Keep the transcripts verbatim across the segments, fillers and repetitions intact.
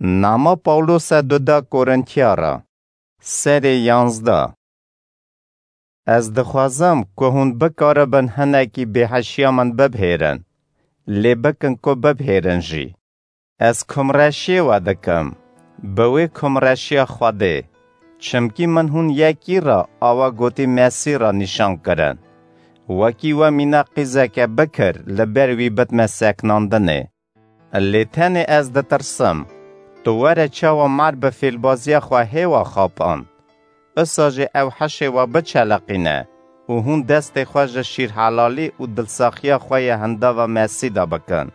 Nama Pawlose duda Korintiya re. Serê yanzdeh. Ez dixwazim ku hûn bikaribin hinekî bêheşiya min bibhêrin, lê bikin ku bibhêrin jî. Ez kumreşiyê we dikim, bi wê kumreşiya Xwedê, çimkî min hûn yekî re awa gotî Mesî re nîşan kirin. Wekî we mîna qîzeke bikir li ber wî bidme seknandinê. Lê tenê ez ditirsim, tu were çawa mar bi fêlbaziya xwe hêwa xapand. Usa jî ew hişê we biçeleqîne û hûn destê xwe ji şîrhelalî û dilsaxiya xwe yê hindava Mesî de bikin.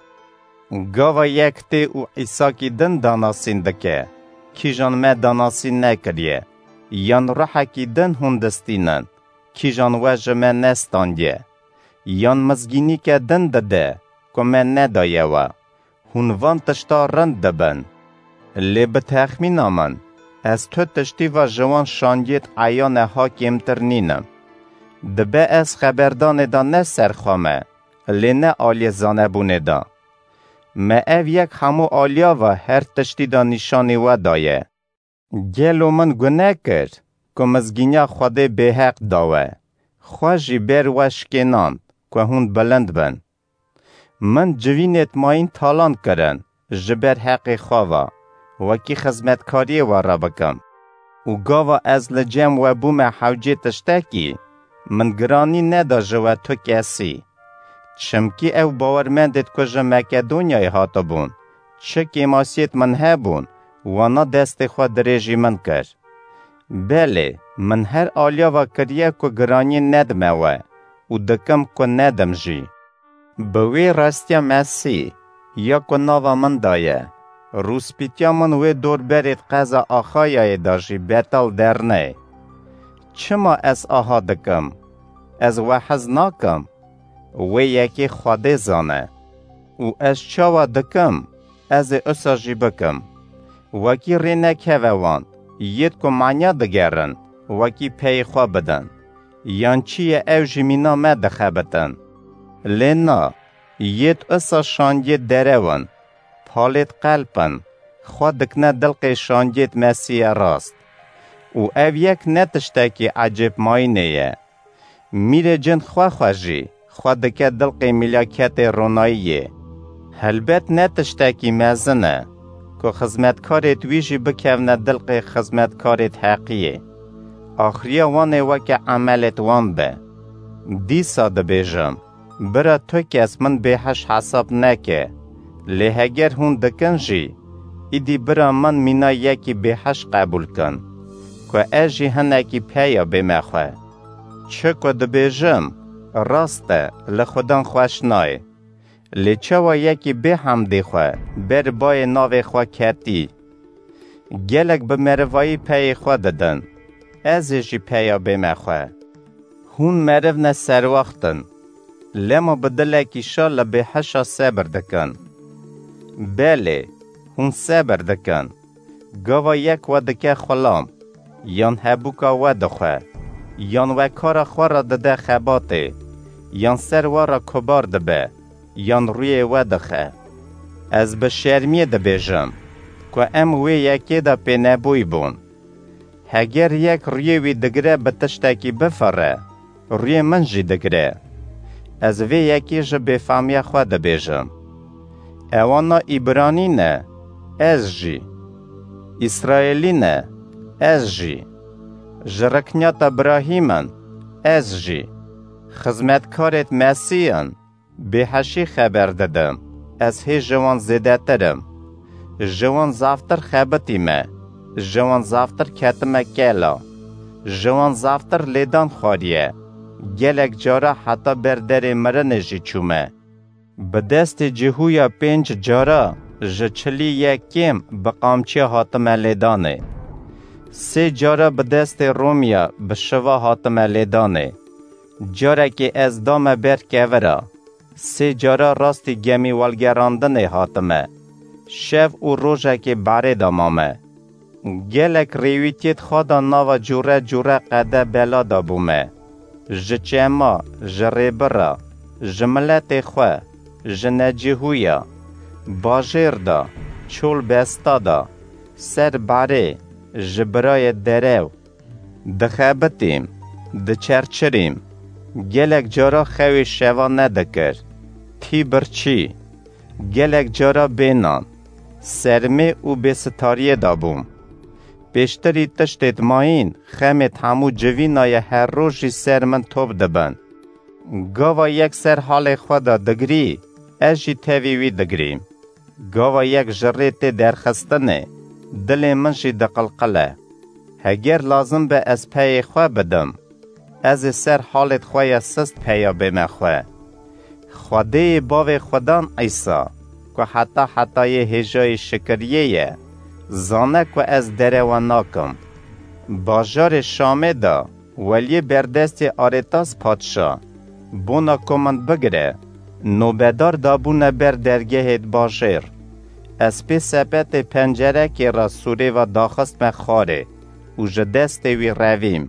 Gava yek tê û Îsakî din danasîn dike, kîjan me danasîn nekiriye, yan ruhekî din hûn distînin, kîjan we ji me nestandiye, yan mizgînîke din dide ku me nedaye we. Hûn van tişta rind dibin. Lê bi texmîna min, ez tu tiştî ve ji wan şandiyêt eyane ha kêmtir nînim. Dibe ez xeberdanê de ne ser xwe me, lê ne aliyê zanebûnê de. Me ev yek hemû aliya ve her tiştî de nîşanî we daye. Gelo min gune kir ku mizgîniya Xwedê bêheq da we? Xwe jî ber we şikênand ku hûn bilind bin. Min civînêt mayîn talan kirin ji ber heqê xwe ve, wekî xizmetkariyê we re bikim. Û gava ez li cem we bûme hewcê tiştekî, min giranî neda ji we tu kesî. Çimkî ew bawermendêt ku ji Makedonyayê hatibûn, çi kêmasiyêt min hebûn, wana destê xwe dirêjî min kir. Belê, min her aliya ve kiriye ku giraniyê nedime we û dikim ku nedim jî. Bi wê rastiya Mesî ya ku nava min de ye, rûspîtiya min wê dorberêt qeza Axayayê de jî betal dernê. Çima ez aha dikim? Ez we hez nakim. Wê yekê Xwedê zane. Û ez çawa dikim, ez ê usa jî bikim. Wekî rê nekeve wan, yêt ku manya digerin, wekî peyê xwe bidin. Yan çi ye ew jî mîna me dixebitin. Lê na, yêt usa şandiyê derew in, palêt qelp in, xwe dikine dilqê şandiyêt Mesî ye rast. Û ev yek ne tiştekî ecêb mayînê ye. Mîrê cin xwe xwe jî, xwe dike dilqê mîlaketê ronayiyê. Helbet ne tiştekî mezin e, ku xizmetkarêt wî jî bikevne dilqê xizmetkarêt heqiyê. Axiriya wan ê weke emelêt wan be. Dîsa dibêjim, bira tu kes min bêheş hesab neke. Lê heger hûn dikin jî, îdî bira min mîna yekî bêheş qebûl kin, ku ez jî hinekî peya bême xwe. Çi ku dibêjim, rast e, li Xudan xweş nayê. Lê çawa yekî bê hemdê xwe ber bayê navê xwe ketî? Gelek bi merivayî peyê xwe didin. Ez ê jî peya bême xwe. Hûn meriv ne serwaxt in. Lema bi dilekî şa li bêheşa sebir dikin. Belê, hûn sebir dikin. Gava yek we dike xulam, yan hebûka we dixwe, yan we kara xwe re dide xebatê, yan ser we re kubar dibe, yan rûyê we dixe. Ez bi şermiyê dibêjim, ku em wê yekê de pênebûy bûn. Heger yek rûyê wî digire bi tiştekî bifire, rûyê min jî digire. Ez vê yekê ji bêfamiya xwe dibêjim. Ewana Îbranî ne, ez jî. Îsraêlî ne, ez jî. Ji rikniyata Birahîm in, ez jî. Xizmetkarêt Mesîh in, bêheşî xeber didim, ez hê ji wan zêdetir im. Ji wan zaftir xebitîme, ji wan zaftir ketime kela, ji wan zaftir lêdan xwariye, gelek cara heta ber derê mirinê jî çûme. Bi destê Cihûya pênc cara ji çilî yek kêm bi qamçiya hatime lêdanê. Sê cara bi destê Romya bi şiva hatime lêdanê. Carekê ez dame ber kevira. Sê cara rastî gemî welgerandinê hatime. Şev û rojekê barê de mame. Gelek rêwîtiyêt xwe de nava cûre cûre qede bela de bûme. Ji çema, ji rêbira, ji miletê xwe, ji necihûya, bajêr de, çol besta da, ser barê, ji birayê derew. Dixebitîm, diçerçirîm. Gelek cara xewê şeva nedikir. Tî birçî. Gelek cara bênan. Sermê û bêsitariyê da bûm. Pêştirî tiştêt mayîn, xemêt hemû civînaye her roj jî ser min top dibin. Gava yek ser halê xwe de digirî, ez jî tevî wî digirîm. Gava yek ji rê tê derxistinê, dilê min jî diqilqile. Heger lazim be ez peyê xwe bidim, ez ê ser halêt xwe ya sist peya bême xwe. Xwedêyê bavê xwedan Îsa, ku heta hetayê hêjayê şikiriyê ye, zane ku ez derewa nakim. Bajarê Şamê de weliyê berdestê Arêtas padşa, bona ku min bigire, nobedar dabûne ber dergehê bajêr. Ez pê sepetê pencerekê re sûrê ve daxistme xwarê û ji destê wî revîm.